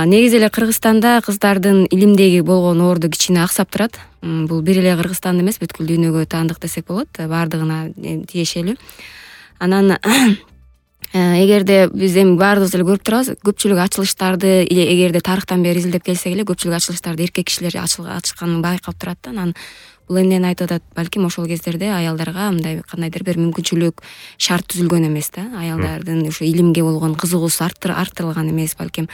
Негизи эле Кыргызстанда кыздардын илимдеги болгон орду кичине аксап турат. Бул бир эле Кыргызстанда эмес, бүткүл дүйнөгө таандык десек болот, баардыгына тиешелүү. Анан эгерде биз эми баарыбыз эле көрүп турабыз, көпчүлүк ачылыштарды эгерде тарыхтан бери изилдеп келсек эле көпчүлүк ачылыштарды эркек кишилер ачышканын байкап турат да. Анан бул эмнени айтып атат? Балким ошол кездерде аялдарга мындай кандайдыр бир мүмкүнчүлүк, шарт түзүлгөн эмес да. Аялдардын ушу илимге болгон кызыгуусу арттырылган эмес балким.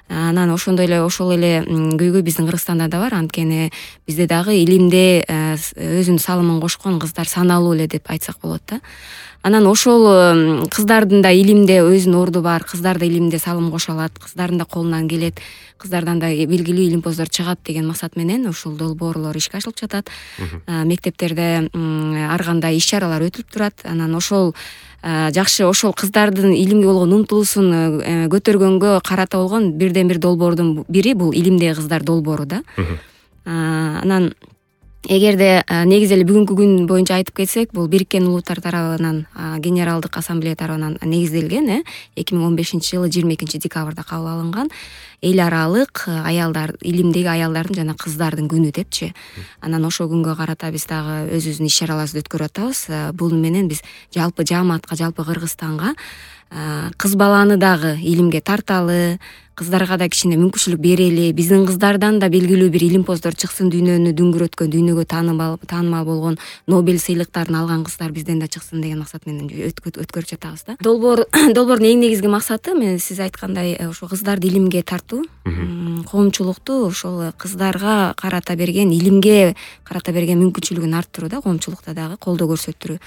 Анан ошол эле көйгөй биздин Кыргызстанда да бар. Анткени бизде дагы илимде өзүнүн салымын кошкон кыздар саналуу эле деп айтсак болот да. Анан ошол кыздардын да илимде өзүнүн орду бар, кыздар да илимде салым кошо алат, кыздардын да колунан келет, кыздардан да белгилүү илимпоздор чыгат деген максат менен ушул долбоорлор ишке ашырылып жатат. Мектептерде ар кандай иш-чаралар өтүлүп турат. Анан ошол жакшы ошол кыздардын илимге болгон умтулуусун көтөргөнгө карата болгон бирден бир долбоордун бири бул илимдеги кыздар долбоору да. Анан эгерде негизи эле бүгүнкү күн боюнча айтып кетсек, бул Бириккен Улуттар тарабынан Генералдык Ассамблея тарабынан негизделген 2015-жылы 22-декабрда кабыл алынган эл аралык аялдар илимдеги аялдардын жана кыздардын күнү депчи. Анан ошол күнгө карата биз дагы өзүбүздүн иш-чараларыбызды өткөрүп атабыз. Бул менен биз жалпы жааматка, жалпы Кыргызстанга кыз баланы дагы илимге тарталы, кыздарга да кичине мүмкүнчүлүк берели, биздин кыздардан да белгилүү бир илимпоздор чыксын, дүйнөнү дүңгүрөткөн, дүйнөгө таанымал болгон Нобель сыйлыктарын алган кыздар бизден да чыксын деген максат менен өткөрүп жатабыз да. Долбоордун эң негизги максаты мен сиз айткандай ошо кыздарды илимге тартуу, коомчулукту ошол кыздарга карата берген, илимге карата берген мүмкүнчүлүгүн арттыруу да, коомчулукта дагы колдоо көрсөтүрүү.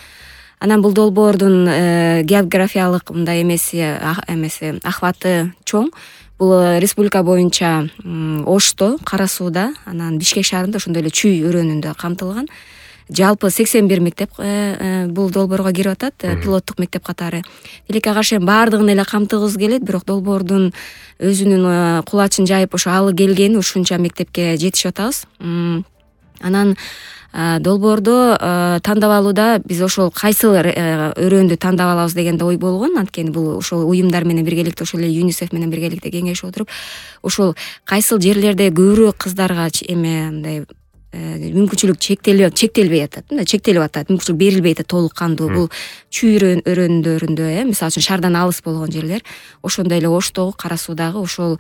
Анан бул долбоордун географиялык мындай ахваты чоң. Бул республика боюнча Ошто, Кара Сууда, анан Бишкек шаарында, ошондой эле Чүй өрөөнүндө камтылган. Жалпы 81 мектеп бул долбоорго кирип атат, пилоттук мектеп катары. Тилекке каршы баардыгын эле камтыгыбыз келет, бирок долбоордун өзүнүн кулачын жайып ошо алы келгени ушунча мектепке жетишип атабыз. Анан долбоордо тандап алууда биз ошол кайсыл өрөөндү тандап алабыз деген ой болгон. Анткени бул ошол уюмдар менен биргеликте, ошол эле ЮНИСЕФ менен биргеликте кеңешип отуруп, ошол кайсыл жерлерде көбүрөөк кыздарга мындай мүмкүнчүлүк чектелбей атат, мүмкүнчүлүк берилбей атат толук кандуу. Бул Чүй өрөөндөрүндө, мисалы үчүн шаардан алыс болгон жерлер, ошондой эле Оштогу, Кара Суудагы ошол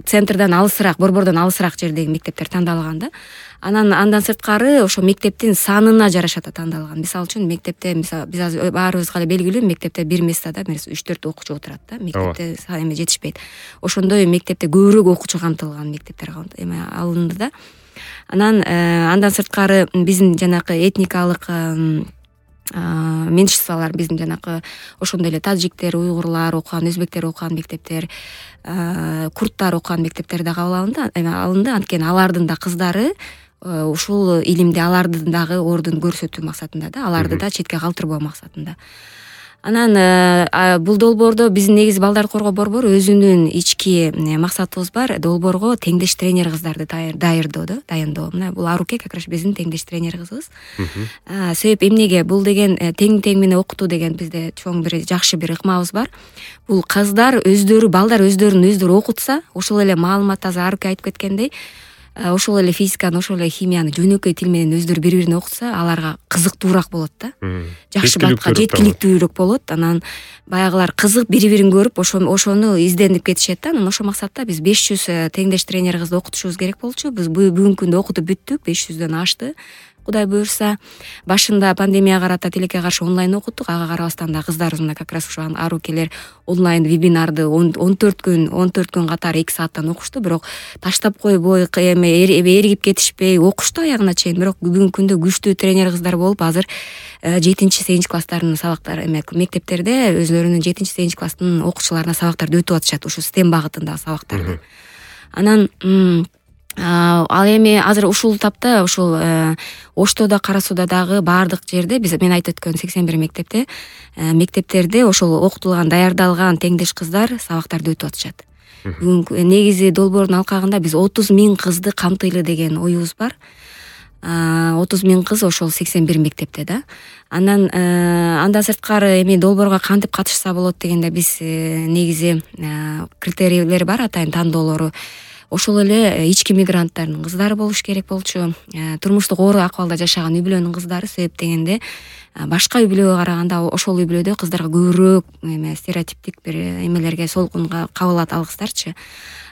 центрден алысыраак, борбордон алысыраак жердеги мектептер тандалган да. Андан сырткары ошо мектептин санына жараша тандалган. Мисалы үчүн мектепте, биз азыр баарыбызга эле белгилүү, мектепте бир местада 3-4 окуучу отурат да, мектепте жетишпейт. Ошондой мектепте көбүрөөк окуучу камтылган мектептер алынды да. Андан сырткары биздин жанакы этникалык меньшинстволор, биздин жанакы ошондой эле таджиктер, уйгурлар окуган, өзбектер окуган мектептер, курдтар окуган мектептер да кабыл алынды. Анткени алардын да кыздары ушул илимде алардын дагы ордун көрсөтүү максатында да, аларды да четке калтырбоо максатында. Анан бул долбоордо биздин негизи балдарды коргоо борбору өзүнүн ички максатыбыз бар. Долбоорго теңдеш тренер кыздарды дайындоо. Мына бул Аруке как раз биздин теңдеш тренер кызыбыз. Себеп эмнеге? Бул деген тең менен окутуу деген бизде чоң бир жакшы бир ыкмабыз бар. Бул кыздар балдар өздөрүн окутса, ошол эле маалымат азыр Аруке айтып кеткендей, ошол эле физиканы, ошол эле химияны жөнөкөй тил менен өздөрү бири-бирине окутса, аларга кызыктуураак болот да. Жакшы батка жеткиликтүүрөөк болот. Анан баягылар кызык бири-бирин көрүп, ошону изденип кетишет да. Анан ошол максатта биз 500 теңдеш тренер кызды окутушубуз керек болчу. Биз бүгүнкү күндө окутуп бүттүк, 500дөн ашты. Кудай буюрса, башында пандемияга карата тилекке каршы онлайн окуттук. Ага карабастан да кыздарыбыз мына как раз ушу Арукелер онлайн вебинарды 14 күн катары 2 сааттан окушту. Бирок таштап койбой, эригип кетишпей окушту аягына чейин. Бирок бүгүнкү күндө күчтүү тренер кыздар болуп, азыр 7-8 класстардын сабактары мектептерде өзлөрүнүн 7-8 класстын окуучуларына сабактарды өтүп атышат, ушу STEM багытындагы сабактарды. Анан ал эми азыр ушул тапта ушул Оштодо, Кара Сууда дагы баардык жерде мен айтып өткөн 81 мектептерде ошол окутулган, даярдалган теңдеш кыздар сабактарды өтүп атышат. Бүгүнкү негизи долбоордун алкагында биз 30 000 кызды камтыйлы деген оюбуз бар. 30,000 кыз ошол 81 мектепте да. Анан андан сырткары эми долбоорго кантип катышса болот дегенде биз негизи критерийлер бар, атайын тандоолору. Ошол эле ички мигранттардын кыздары болуш керек болчу. Турмуштук оор акыбалда жашаган үй бүлөнүн кыздары, себеп дегенде башка үй бүлөгө караганда ошол үй бүлөдө кыздарга көбүрөөк стереотиптик бир эмелерге солкунга кабылат ал кыздарчы.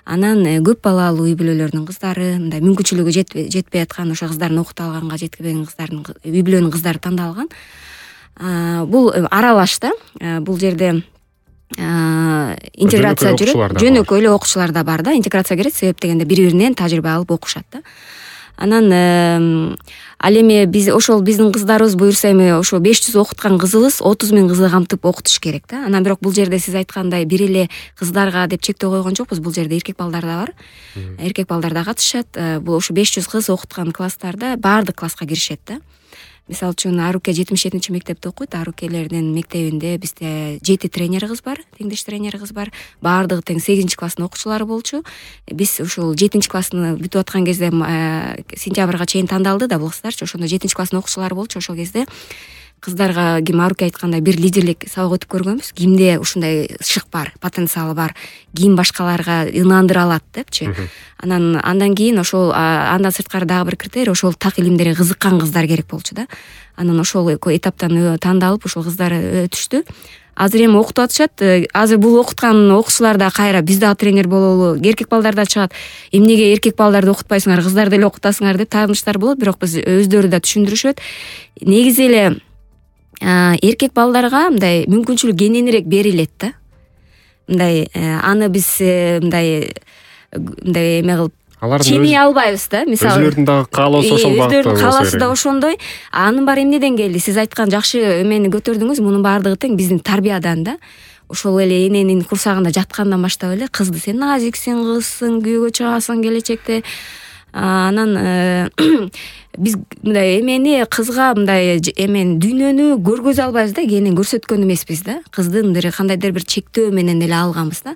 Анан көп балалуу үй бүлөлөрдүн кыздары, мындай мүмкүнчүлүгү жетпей аткан, ошо кыздардын окута алганга жетпеген кыздардын үй бүлөнүн кыздары тандалган. Бул аралаш да. Бул жерде интеграция жүрөт, жөнөкөй эле окуучулар да бар да, интеграция керет, себеп дегенде бири-биринен тажрыйба алып окушат да. Анан ал эми биз ошол биздин кыздарыбыз буюрса эми ошо 500 окуткан кызыбыз 30,000 кызды камтып окутуш керек да. Анан бирок бул жерде сиз айткандай бир эле кыздарга деп чектөө койгон жокпуз. Бул жерде эркек балдар да бар. Эркек балдар да катышат. Бул ошо 500 кыз окуткан класстарда баардык класска киришет да. Мисалы үчүн Аруке 77 мектепте окуйт. Арукелердин мектебинде бизде 7 тренер кыз бар, теңдеш тренер кыз бар. Баардыгы тең 8 класстын окуучулары болчу. Биз ушул 7 класстын бүтүп аткан кезде сентябрга чейин тандалды да бул кыздарчы. Ошондо 7 класстын окуучулары болчу. Ошол кезде кыздарга ким Аруке айткандай бир лидерлик сабак өтүп көргөнбүз. Кимде ушундай шык бар, потенциалы бар, ким башкаларга ынандыра алат депчи. Андан кийин ошол андан сырткары дагы бир критерий, ошол так илимдерге кызыккан кыздар керек болчу да. Анан ошол этаптан тандалып ошол кыздар өтүштү. Азыр эми окутуп атышат. Азыр бул окуткан окуучулар да кайра биз дагы тренер бололу, эркек балдар да чыгат. Эмнеге эркек балдарды окутпайсыңар, кыздарды эле окутасыңар деп тааныштар болот, бирок биз өздөрү да түшүндүрүшөт. Негизи эле эркек балдарга мындай мүмкүнчүлүк кененирээк берилет да. Мындай аны биз мындай эме кылып ченей албайбыз да. Мисалы өзүлөрдүн дагы каалоосу ошол багытта. Өздөрүнүн каалоосу да ошондой. Анын баары эмнеден келди? Сиз айткан жакшы эмени көтөрдүңүз. Мунун баардыгы тең биздин тарбиядан да. Ошол эле эненин курсагында жаткандан баштап эле кызды сен назиксиң, кызсың, күйөөгө чыгасың келечекте. Анан биз мындай эмени кызга мындай эмени дүйнөнү көргөзө албайбыз да, кенен көрсөткөн эмеспиз да. Кыздын бир кандайдыр бир чектөө менен эле алганбыз да.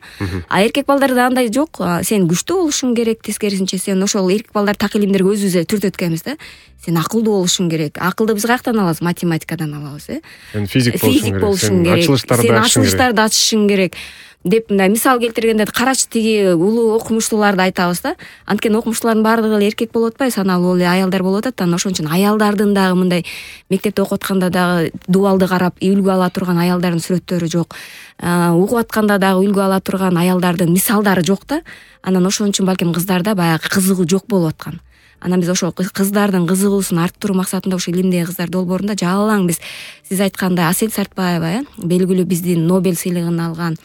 Эркек балдарда андай жок. Сен күчтүү болушуң керек, тескерисинче сен ошол эркек балдар так илимдерге өзүбүз эле түртөткөнбүз да. Сен акылдуу болушуң керек. Акылды биз каяктан алабыз? Математикадан алабыз, Сен физик болушуң керек. Сен ачылыштарды ачышың керек деп мындай мисал келтиргенде карачы тиги улуу окумуштууларды айтабыз да. Анткени окумуштуулардын баардыгы эле эркек болуп атпайбы, саналуу эле аялдар болуп атат. Анан ошон үчүн аялдардын дагы мындай мектепте окуп атканда дагы дубалды карап үлгү ала турган аялдардын сүрөттөрү жок. Угуп атканда дагы үлгү ала турган аялдардын мисалдары жок да. Анан ошон үчүн балким кыздарда баягы кызыгуу жок болуп аткан. Анан биз ошо кыздардын кызыгуусун арттыруу максатында ошо илимдеги кыздар долбоорунда жалаң биз сиз айткандай Асель Сартбаева, белгилүү биздин Нобель сыйлыгын алган,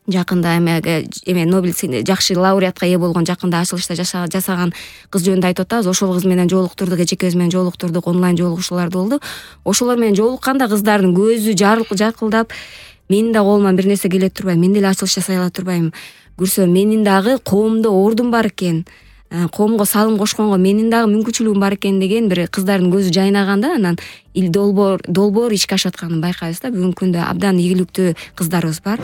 жакында эме Нобель жакшы лауреатка ээ болгон, жакында ачылышта жасаган кыз жөнүндө айтып атабыз. Ошол кыз менен жолуктурдук, эчекебиз менен жолуктурдук, онлайн жолугушуулар болду. Ошолор менен жолукканда кыздардын көзү жакылдап, менин да колуман бир нерсе келе турбайбы, мен деле ачылыш жасай ала турбайбы, көрсөм менин дагы коомдо ордум бар экен, коомго салым кошконго менин дагы мүмкүнчүлүгүм бар экен деген бир кыздардын көзү жайнаганда, анан долбоор ишке ашып атканын байкайбыз да. Бүгүнкү күндө абдан ийгиликтүү кыздарыбыз бар.